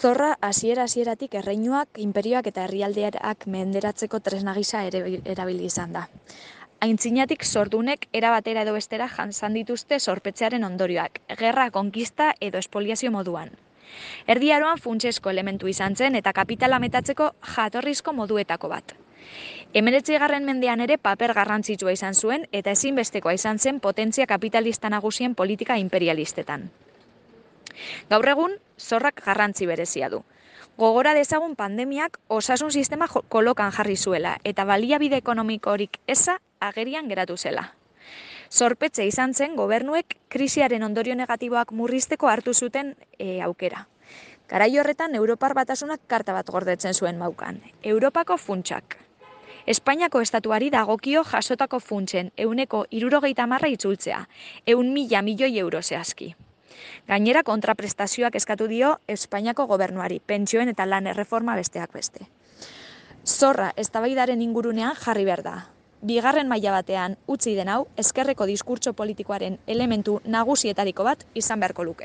Zorra hasieratik erreinuak, inperioak eta herrialdeak menderatzeko tresna gisa erabili izan da. Aintzinatik zordunek era batera edo bestera jasan dituzte zorpetzearen ondorioak, gerra, konkista edo espoliazio moduan. Erdi Aroan funtsezko elementu izan zen eta kapitala metatzeko jatorrizko moduetako bat. 19. mendean ere paper garrantzitsua izan zuen eta ezinbestekoa izan zen potentzia kapitalista nagusien politika imperialistetan. Gaur egun, zorrak garrantzi berezia du. Gogora dezagun pandemiak osasun sistema kolokan jarri zuela eta baliabide ekonomikorik eza agerian geratu zela. Zorpetze izan zen gobernuek krisiaren ondorio negatiboak murrizteko hartu zuten aukera. Garai horretan, Europar Batasunak karta bat gordetzen zuen maukan. Europako funtsak. Espainiako estatuari dagokio jasotako funtsen 70% itzultzea, 100.000 milioi euro zehazki. Gainera kontraprestazioak eskatu dio Espainiako gobernuari, pentsioen eta lan erreforma besteak beste. Zorra eztabaidaren ingurunean jarri behar da. Bigarren maila batean utzi den hau, ezkerreko diskurtso politikoaren elementu nagusietariko bat izan beharko luke.